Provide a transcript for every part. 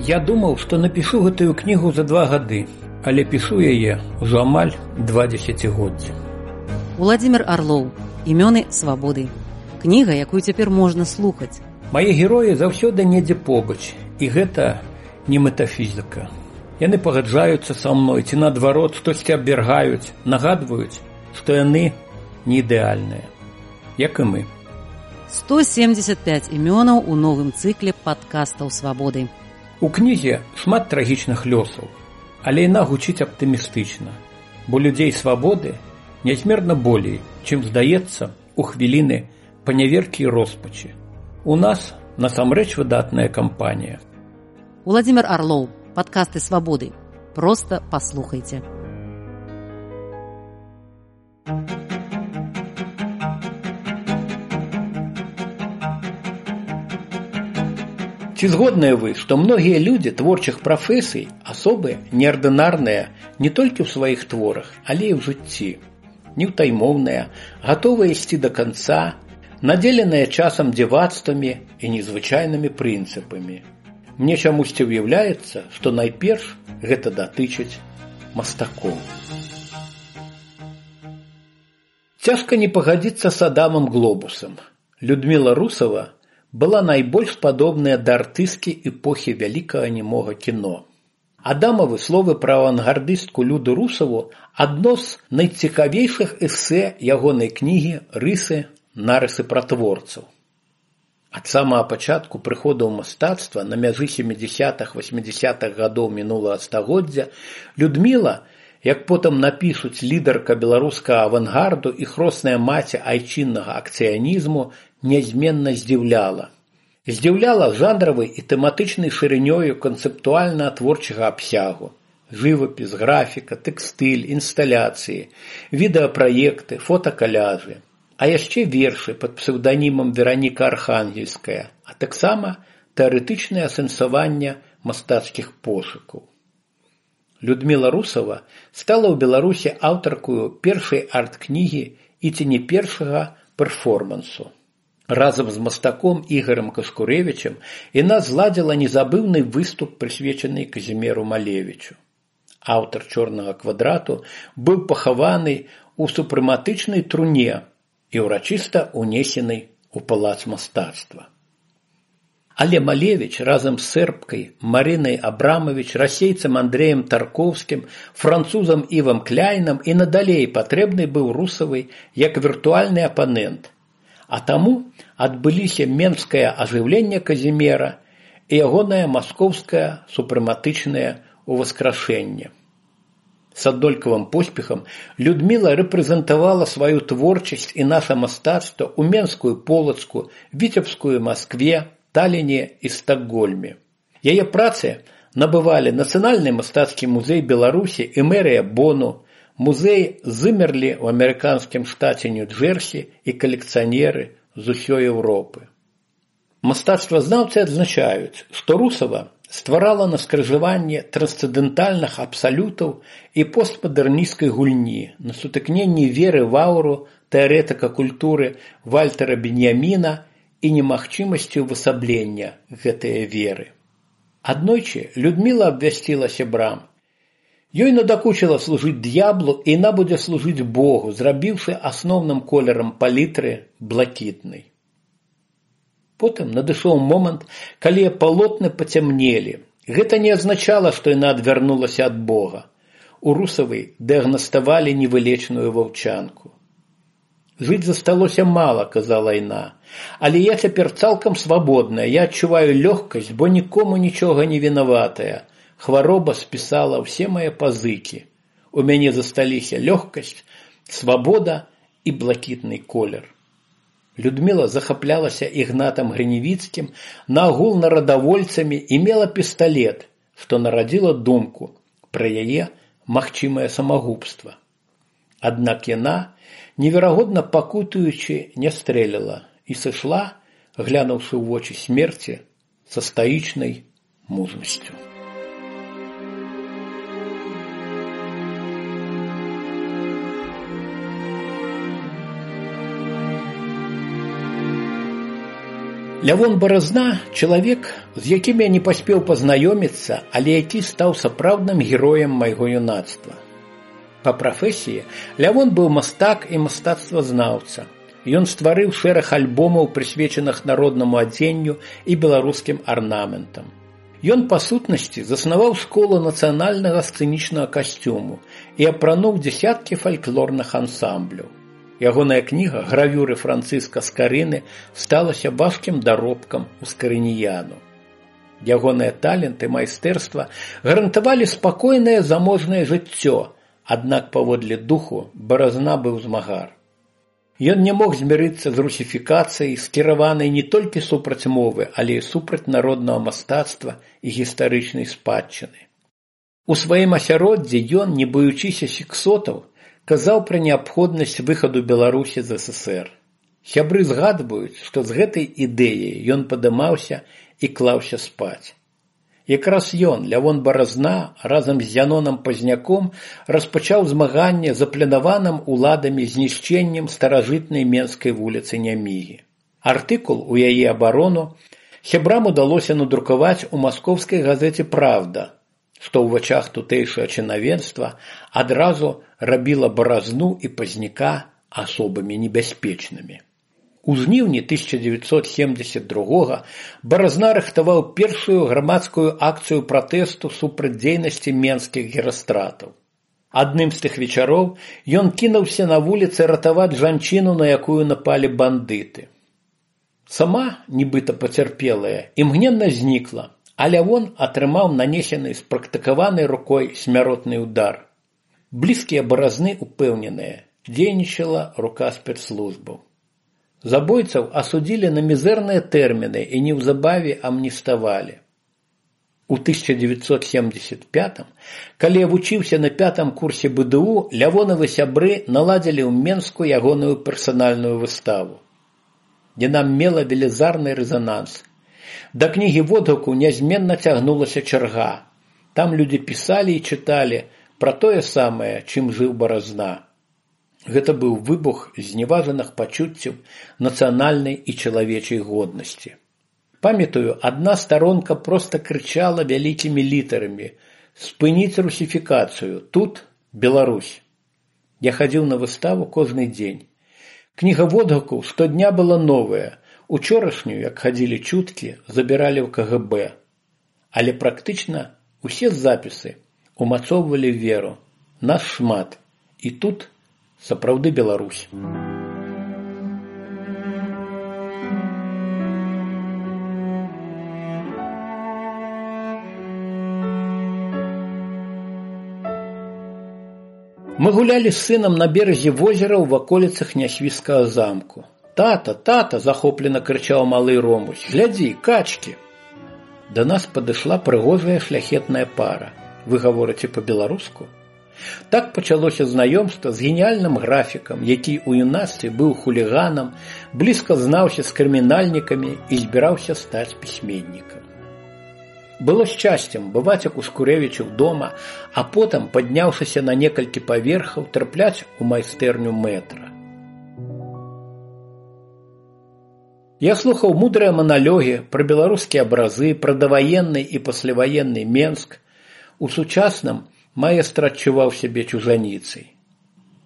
Я думаў, што напішу гэтую кнігу за 2 гады, але пішу яе ўжо амаль 2 дзесяцігоддзі. Уладзімір Арлоў. Імёны свабоды. Кніга, якую цяпер можна слухаць. Мае героі заўсёды недзе побач, і гэта не метафізіка. Яны пагаджаюцца са мной, ці наадварот, штосьці абвяргаюць, нагадваюць, што яны не ідэальныя, як і мы. 175 імёнаў у новым цыкле падкастаў свабоды. У кнізе шмат трагічных лёсаў, але яна гучыць аптымістычна, бо людзей свабоды нязмерна болей, чым здаецца у хвіліны паняверкі і роспачы. У нас насамрэч выдатная кампанія. Уладзімір Арлоў. Падкасты свабоды. Проста паслухайце. Ці згодныя вы, што многія людзі творчых прафесій асобы неардынарныя не толькі ў сваіх творах, але і ў жыцці, неўтаймоўныя, гатовыя ісці да канца, надзеленыя часам дзівацтвамі і незвычайнымі прынцыпамі. Мне чамусьці ўяўляецца, што найперш гэта датычыць мастакоў. Цяжка не пагадзіцца з Адамам Глобусам. Людміла Русава была найбольш падобная да артысткі эпохі вялікага нямога кіно. Адамавы словы пра авангардыстку Люду Русаву адно з найцікавейшых эсэ ягонай кнігі «Рысы, нарысы пра творцаў». Ад самага пачатку прыходу ў мастацтва на мяжы 70-80-х гадоў мінулага стагоддзя Людміла, як потым напішуць лідарка беларускага авангарду і хросная маці айчыннага акцыянізму, нязменна здзіўляла. Здзіўляла жанравай і тэматычнай шырынёю канцэптуальна-творчага абсягу. Жывапіс, графіка, тэкстыль, інсталяцыі, відэапраекты, фотакаляжы. А яшчэ вершы пад псеўданімам Вераніка Архангельская, а таксама тэарэтычнае асэнсаванне мастацкіх пошукаў. Людміла Русава стала ў Беларусі аўтаркаю першай арт-кнігі і ці не першага перформансу. Разам з мастаком Ігорем Каскурэвічам яна зладзіла незабыўны выступ, прысвечаны Казіміру Малевічу. Аўтар «Чорнага квадрату» быў пахаваны ў супрэматычнай труне і ўрачыста унесены ў палац мастацтва. Але Малевіч разам з сэрбкай Марынай Абрамавіч, расейцам Андрэем Тарковскім, французам Івам Кляйнам і надалей патрэбны быў Русавай як віртуальны апанент. А таму адбыліся менскае ажыўленне Казіміра і ягонае маскоўскае супрэматычнае ўваскрашэнне. С аднолькавым поспехам Людміла рэпрэзентавала сваю творчасць і наша мастацтва ў Менскую Полацку, Віцебскую Маскве, Таліне і Стакгольме. Яе працы набывалі Нацыянальны мастацкі музей Беларусі і мэрыя Бону, музей Зымерлі ў амерыканскім штаце Нью-Джерсі і калекцыянеры з усёй Еўропы. Мастацтвазнаўцы адзначаюць, што Русава стварала на скрыжаванні трансцэндэнтальных абсалютаў і постмадэрнісцкай гульні, на сутыкненні веры в ауру тэарэтыка культуры Вальтера Беньяміна і немагчымасці ўвасаблення гэтае веры. Аднойчы Людміла абвясціла сябрам: ёй надакучыла служыць д'яблу, і яна будзе служыць Богу, зрабіўшы асноўным колерам палітры блакітнай. Потым надышоў момант, калі палотны пацямнелі. Гэта не азначала, што яна адвярнулася ад Бога. У Русавай дыягнаставалі невылечную ваўчанку. «Жыць засталося мала», – казала яна, – «але я цяпер цалкам свабодная, я адчуваю лёгкасць, бо нікому нічога не вінаватая. Хвароба спісала ўсе мае пазыкі. У мяне засталіся лёгкасць, свабода і блакітны колер». Людміла захаплялася Ігнатам Грыневіцкім, наогул нарадавольцамі і мела пісталет, што нарадзіла думку пра яе магчымае самагубства. Аднак яна, неверагодна пакутуючы, не стрэліла і сышла, глянуўшы ў вочы смерці, са стаічнай мужнасцю. Лявон Баразна – чалавек, з якім я не паспеў пазнаёміцца, але які стаў сапраўдным героем майго юнацтва. Па прафесіі Лявон быў мастак і мастацтвазнаўца. Ён стварыў шэраг альбомаў, прысвечаных народнаму адзенню і беларускім арнаментам. Ён, па сутнасці, заснаваў школу нацыянальнага сцэнічнага касцюму і апрануў дзесяткі фальклорных ансамбляў. Ягоная кніга «Гравюры Францыска Скарыны» сталася важкім даробкам у скарыніяну. Ягоныя талент і майстэрства гарантавалі спакойнае заможнае жыццё, аднак паводле духу Баразна быў змагар. Ён не мог змірыцца з русіфікацыяй, скіраванай не толькі супраць мовы, але і супраць народнага мастацтва і гістарычнай спадчыны. У сваім асяроддзі ён, не баючыся сексотаў, казаў пра неабходнасць выхаду Беларусі з ССР. Сябры згадваюць, што з гэтай ідэяй ён падымаўся і клаўся спаць. Якраз ён, Лявон Баразна, разам з Зяноном Пазняком распачаў змаганне з запланаваным уладамі знішчэннем старажытнай Менскай вуліцы Нямігі. Артыкул у яе абарону сябрам удалося надрукаваць у маскоўскай газеце «Правда», што ў вачах тутэйшага чынавенства адразу рабіла Баразну і Пазняка асобамі небяспечнымі. У жніўні 1972 Баразна рыхтаваў першую грамадскую акцыю пратэсту супраць дзейнасці менскіх герастратаў. Адным з тых вечароў ён кінуўся на вуліцы ратаваць жанчыну, на якую напалі бандыты. Сама, нібыта пацярпелая, імгненна знікла, а Лявон атрымаў нанесены спрактыкаванай рукой смяротны удар. Блізкія Баразны упэўненыя, дзейнічала рука спецслужбаў. Забойцаў асудзілі на мізэрныя тэрміны і неўзабаве амніставалі. У 1975, калі я вучыўся на 5-м курсе БДУ, Лявонавы сябры наладзілі ў Менску ягоную персанальную выставу. Яна мела велізарны рэзананс. Да кнігі водгуку нязменна цягнулася чарга. Там людзі пісалі і чыталі пра тое самае, чым жыў Баразна. Гэта быў выбух зневажаных пачуццяў нацыянальнай і чалавечай годнасці. Памятаю, адна старонка проста крычала вялікімі літарамі: «Спыніць русіфікацыю, тут Беларусь». Я хадзіў на выставу кожны дзень. Кніга водгукаў штодня была новая. Учорашнюю, як хадзілі чуткі, забіралі ў КГБ. Але практычна усе запісы умацоўвалі веру. Нас шмат. І тут сапраўды Беларусь. Мы гулялі з сынам на беразе возера ў ваколіцах Нясвіжскага замку. «Тата, тата!» – захоплена крычаў малы Ромусь. «Глядзі, качкі!» Да нас падышла прыгожая шляхетная пара. Вы гаворыце па-беларуску? Так пачалося знаёмства з геніяльным графікам, які ў юнацтве быў хуліганам, блізка знаўся з крымінальнікамі і збіраўся стаць пісьменнікам. Было шчасцем бываць у Кускурэвічаў дома, а потым, падняўшыся на некалькі паверхаў, трапляць у майстэрню мэтра. Я слухаў мудрыя маналогі пра беларускія абразы, пра даваенны і пасляваенны Менск. У сучасным маэстра адчуваў сябе чужаніцай.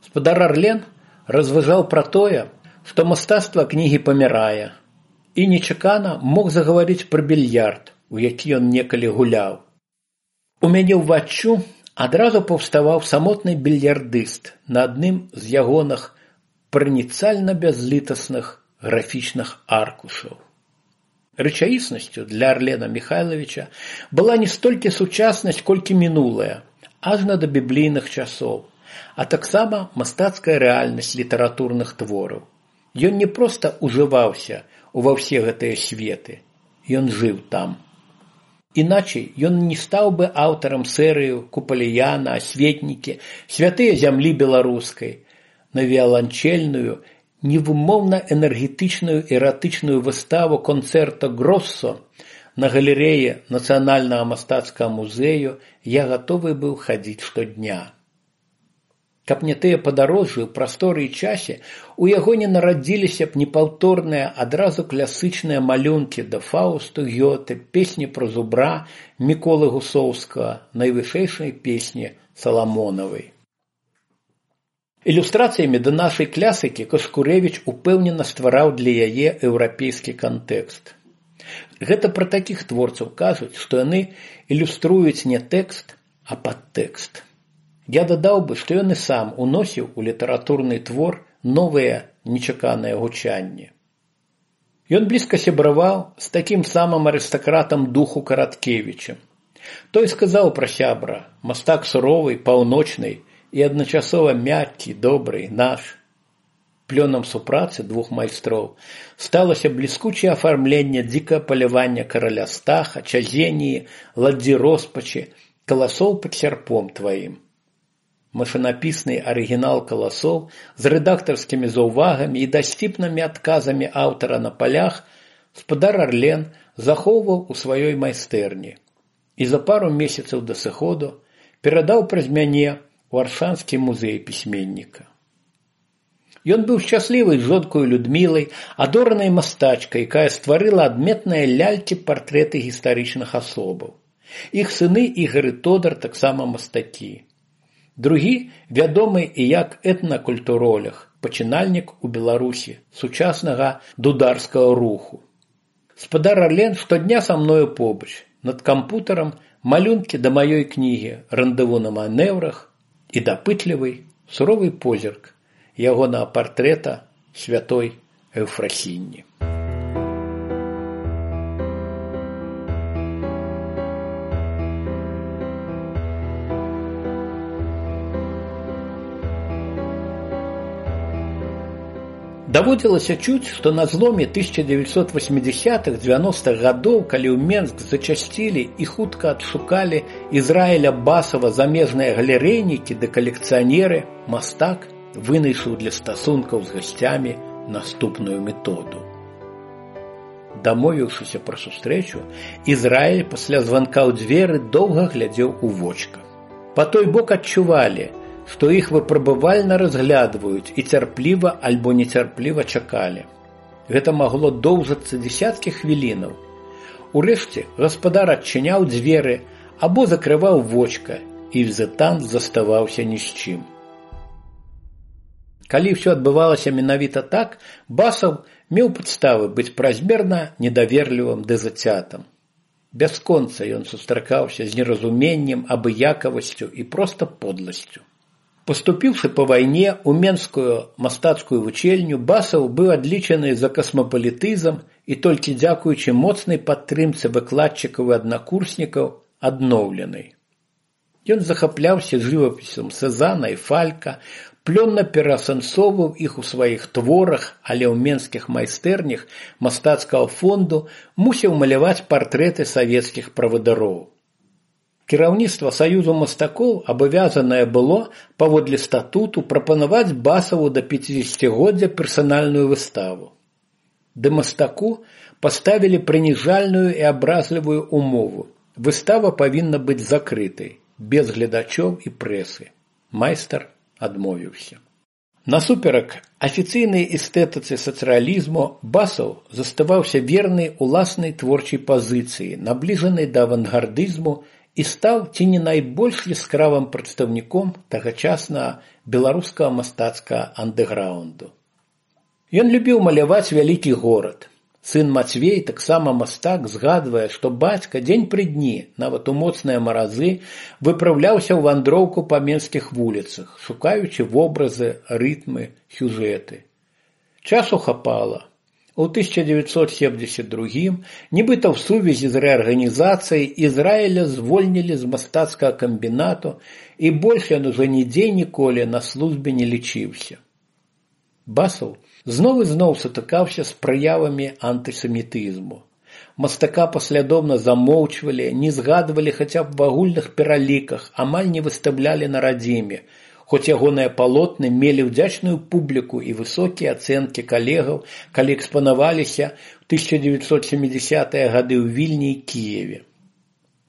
Спадар Арлен разважаў пра тое, што мастацтва кнігі памірае, і нечакана мог загаварыць пра більярд, у які ён некалі гуляў. У мяне ўваччу адразу паўставаў самотны більярдыст на адным з ягоных праніцальна бязлітасных графічных аркушаў. Рэчаіснасцю для Арлена Михайловича была не столькі сучаснасць, колькі мінулая, ажна да біблійных часоў, а таксама мастацкая рэальнасць літаратурных твораў. Ён не проста ужываўся ува ўсе гэтыя светы, ён жыў там. Іначай ён не стаў бы аўтарам серыю «Купаліяна», «Асветнікі», «Святыя зямлі беларускай», на віаланчельную, невымоўна энергетычную эратычную выставу «Концерто Гроссо» на галерэі Нацыянальнага мастацкага музею я гатовы быў хадзіць штодня. Каб не тыя падарожжы ў прасторы і часе, у яго не нарадзіліся б непаўторныя адразу класычныя малюнкі да Фаусту Гёте, песні пра зубра Міколы Гусоўскага, найвышэйшай песні Саламонавай. Ілюстрацыямі да нашай класікі Кашкурэвіч упэўнена ствараў для яе еўрапейскі кантэкст. Гэта пра такіх творцаў кажуць, што яны ілюструюць не тэкст, а падтэкст. Я дадаў бы, што ён і сам уносіў у літаратурны твор новыя нечаканыя гучанні. Ён блізка сябраваў з такім самым арыстакратам духу Караткевічам. Той сказаў пра сябра, мастак суровый, паўночны і адначасова мяккі, добры, наш. Плёнам супрацы двух майстроў сталася бліскучае афармленне дзікае палявання караля Стаха, Чазеніі, ладдзі роспачы, каласоў пад сярпом тваім. Машынапісны арыгінал каласоў з рэдактарскімі заўвагамі і дасціпнымі адказамі аўтара на палях спадар Арлен захоўваў у сваёй майстэрні і за пару месяцаў да сыходу перадаў праз мяне у Аршанскі музей пісьменніка. Ён быў шчаслівы з жонкою Людмілай, адоранай мастачкай, якая стварыла адметныя лялькі-партрэты гістарычных асобаў. Іх сыны Ігар і Тодар таксама мастакі. Другі вядомы і як этнакультуролог, пачынальнік у Беларусі сучаснага дударскага руху. Спадар Арлен штодня са мною побач, над кампутарам малюнкі да маёй кнігі «Рандеву на манеўрах» і дапытлівы, суровы позірк ягонага партрэта святой Эўфрасіні. Даводзілася чуць, што на зломе 1980-х-90-х гадоў, калі ў Менск зачасцілі і хутка адшукалі Ізраіля Басава замежныя галерэйнікі ды калекцыянеры, мастак вынайшаў для стасункаў з гасцямі наступную методу. Дамовіўшыся пра сустрэчу, Ізраіль пасля званка ў дзверы доўга глядзеў у вочка. Па той бок адчувалі, што іх выпрабавальна разглядваюць і цярпліва альбо нецярпліва чакалі. Гэта магло доўжыцца дзесяткі хвілінаў. Урэшце гаспадар адчыняў дзверы або закрываў вочка, і візітант заставаўся ні з чым. Калі ўсё адбывалася менавіта так, Басаў меў падставы быць празмерна недаверлівым ды зацятым. Бясконца ён сустракаўся з неразуменнем, абыякавасцю і проста подласцю. Паступіўшы па вайне ў Менскую мастацкую вучэльню, Басаў быў адлічаны за касмапалітызм і толькі дзякуючы моцнай падтрымцы выкладчыкаў і аднакурснікаў адноўлены. Ён захапляўся жывапісам Сезана і Фалька, плённа пераасэнсоўваў іх у сваіх творах, але ў менскіх майстэрнях мастацкага фонду мусіў маляваць партрэты савецкіх правадароў. Кіраўніцтва Саюзу мастакоў абавязанае было, паводле статуту, прапанаваць Басаву да 50-годдзя персанальную выставу. Ды мастаку паставілі прыніжальную і абразлівую умову. Выстава павінна быць закрытай, без гледачоў і прэсы. Майстар адмовіўся. Насуперак афіцыйнай эстэтыцы сацыялізму, Басаў заставаўся верны уласнай творчай пазіцыі, набліжанай да авангардызму, і стаў ці не найбольш яскравым прадстаўніком тагачаснага беларускага мастацкага андэграўнду. Ён любіў маляваць вялікі горад. Сын Мацвей, таксама мастак, згадвае, што бацька дзень пры дні, нават у моцныя маразы, выпраўляўся ў вандроўку па менскіх вуліцах, шукаючы вобразы, рытмы, сюжэты. Часу хапала. У 1972-м, нібыта ў сувязі з рэарганізацыяй, Ізраіля звольнілі з мастацкага камбінату, і больш ён ужо нідзе ніколі на службе не лічыўся. Басаў зноў і зноў сутыкаўся з праявамі антысемітызму. Мастака паслядоўна замоўчвалі, не згадвалі хаця б в агульных пераліках, амаль не выстаўлялі на радзіме, хоць ягоныя палотны мелі ўдзячную публіку і высокія ацэнкі калегаў, калі экспанаваліся ў 1970-е гады ў Вільні і Кіеве.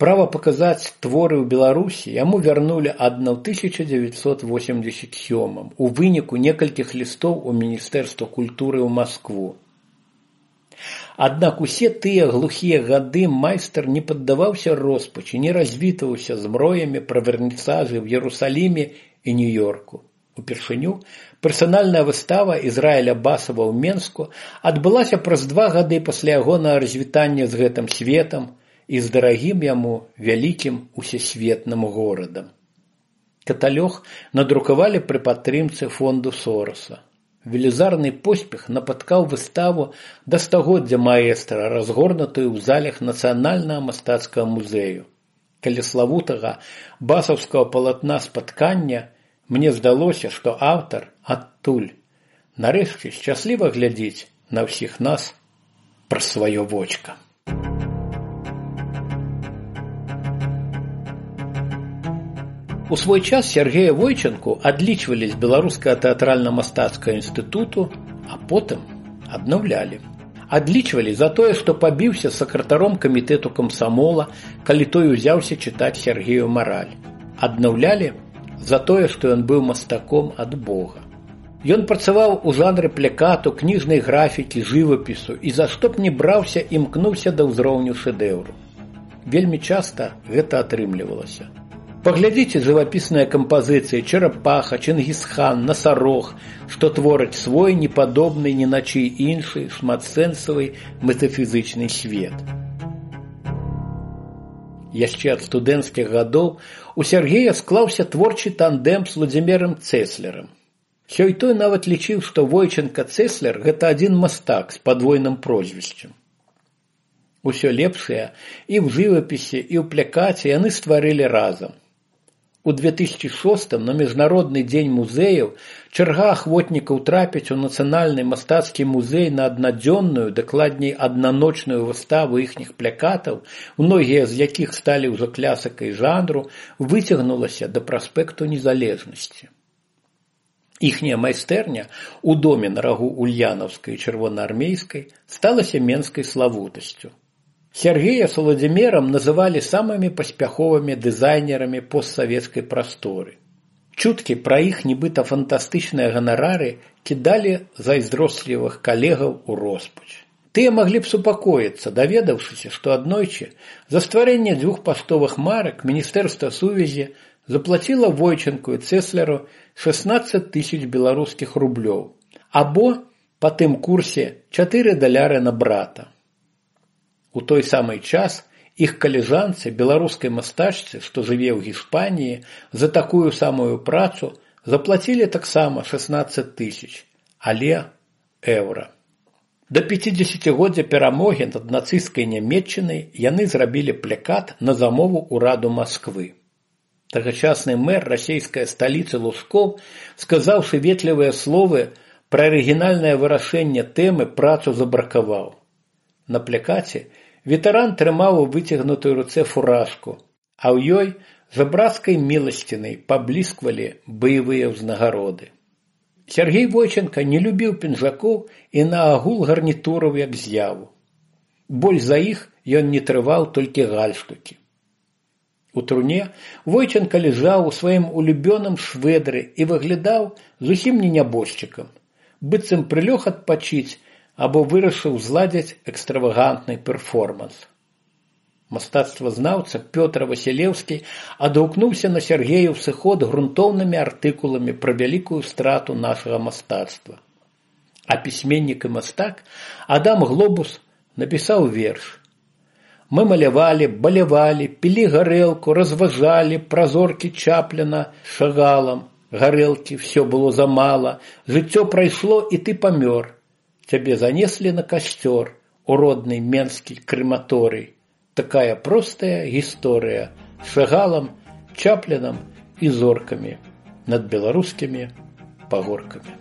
Права паказаць творы ў Беларусі яму вярнулі ад 1987 у выніку некалькіх лістоў у Міністэрства культуры ў Маскву. Аднак усе тыя глухія гады майстар не паддаваўся роспачы, не развітваўся з мроямі пра вернісажы ў Ерусаліме і Нью-Йорку. Упершыню персанальная выстава Ізраіля Басава ў Менску адбылася праз 2 гады пасля ягонага развітання з гэтым светам і з дарагім яму вялікім усесветным горадам. Каталог надрукавалі пры падтрымцы фонду Сороса. Велізарны поспех напаткаў выставу да стагоддзя маэстра, разгорнутую ў залях Нацыянальнага мастацкага музею. Каля славутага басаўскага палатна спаткання мне здалося, што аўтар адтуль нарэшце шчасліва глядзіць на ўсіх нас праз сваё вочка. У свой час Сергея Войчанку адлічвалі з Беларускага тэатральна-мастацкага інстытуту, а потым аднаўлялі. Адлічвалі за тое, што пабіўся з сакратаром камітэту камсамола, калі той узяўся чытаць Сергею мараль. Аднаўлялі за тое, што ён быў мастаком ад Бога. Ён працаваў у жанры плякату, кніжнай графікі, жывапісу і за што б не браўся, імкнуўся да ўзроўню шэдэўру. Вельмі часта гэта атрымлівалася. Паглядзіце жывапісныя кампазіцыі «Чарапаха», «Чынгісхан», «Насарог», што твораць свой непадобны ні на чый іншы шматсэнсавы метафізычны свет. Яшчэ ад студэнцкіх гадоў у Сергея склаўся творчы тандэм з Владзімірам Цэслерам. Сёй-той нават лічыў, што Войчанка-Цэслер – гэта адзін мастак з падвойным прозвішчам. Усё лепшае і ў жывапісе, і ў плякаце яны стварылі разам. У 2006 на Міжнародны дзень музеяў чарга ахвотнікаў трапіць у Нацыянальны мастацкі музей на аднадзённую, дакладней аднаночную выставу іхніх плякатаў, многія з якіх сталі ўжо класікай жанру, выцягнулася да праспекту Незалежнасці. Іхняя майстэрня у доме на рагу Ульянаўскай і Чырвонаармейскай сталася менскай славутасцю. Сергея з Владзімірам называлі самымі паспяховымі дызайнерамі постсавецкай прасторы. Чуткі пра іх нібыта фантастычныя ганарары кідалі зайздрослівых калегаў у роспач. Тыя маглі б супакоіцца, даведаўшыся, што аднойчы за стварэнне 2 паштовых марак Міністэрства сувязі заплаціла Войчанку і Цэслеру 16 000 беларускіх рублёў, або, па тым курсе, $4 на брата. У той самы час іх калежанцы, беларускай мастачцы, што жыве ў Гішпаніі, за такую самую працу заплацілі таксама 16 000, але еўра. Да 50-годдзя перамогі над нацысцкай Нямецчынай яны зрабілі плякат на замову ўраду Масквы. Тагачасны мэр расейскай сталіцы Лусков, сказаўшы ветлівыя словы пра арыгінальнае вырашэнне тэмы, працу забракаваў. На плякаце ветэран трымаў у выцягнутай руцэ фуражку, а ў ёй жабрацкай міласцінай паблісквалі баявыя ўзнагароды. Сергей Войчанка не любіў пінжакоў і наагул гарнітураў як з'яву. Больш за іх ён не трываў толькі гальштукі. У труне Войчанка ляжаў у сваім улюбёным швэдры і выглядаў зусім не нябожчыкам, быццам прылёг адпачыць або вырашыў зладзіць экстравагантны перформанс. Мастацтвазнаўца Пётр Васілеўскі адгукнуўся на Сергею сыход грунтоўнымі артыкуламі пра вялікую страту нашага мастацтва. А пісьменнік і мастак Адам Глобус напісаў верш. Мы малявалі, балявалі, пілі гарэлку, разважалі, празоркі Чапліна Шагалам. Гарэлкі, всё было замала, жыццё прайшло, і ты памёр. Цябе занеслі на касцёр, у родны менскі крэматорый. Такая простая гісторыя з Шагалам, Чаплінам і зоркамі над беларускімі пагоркамі.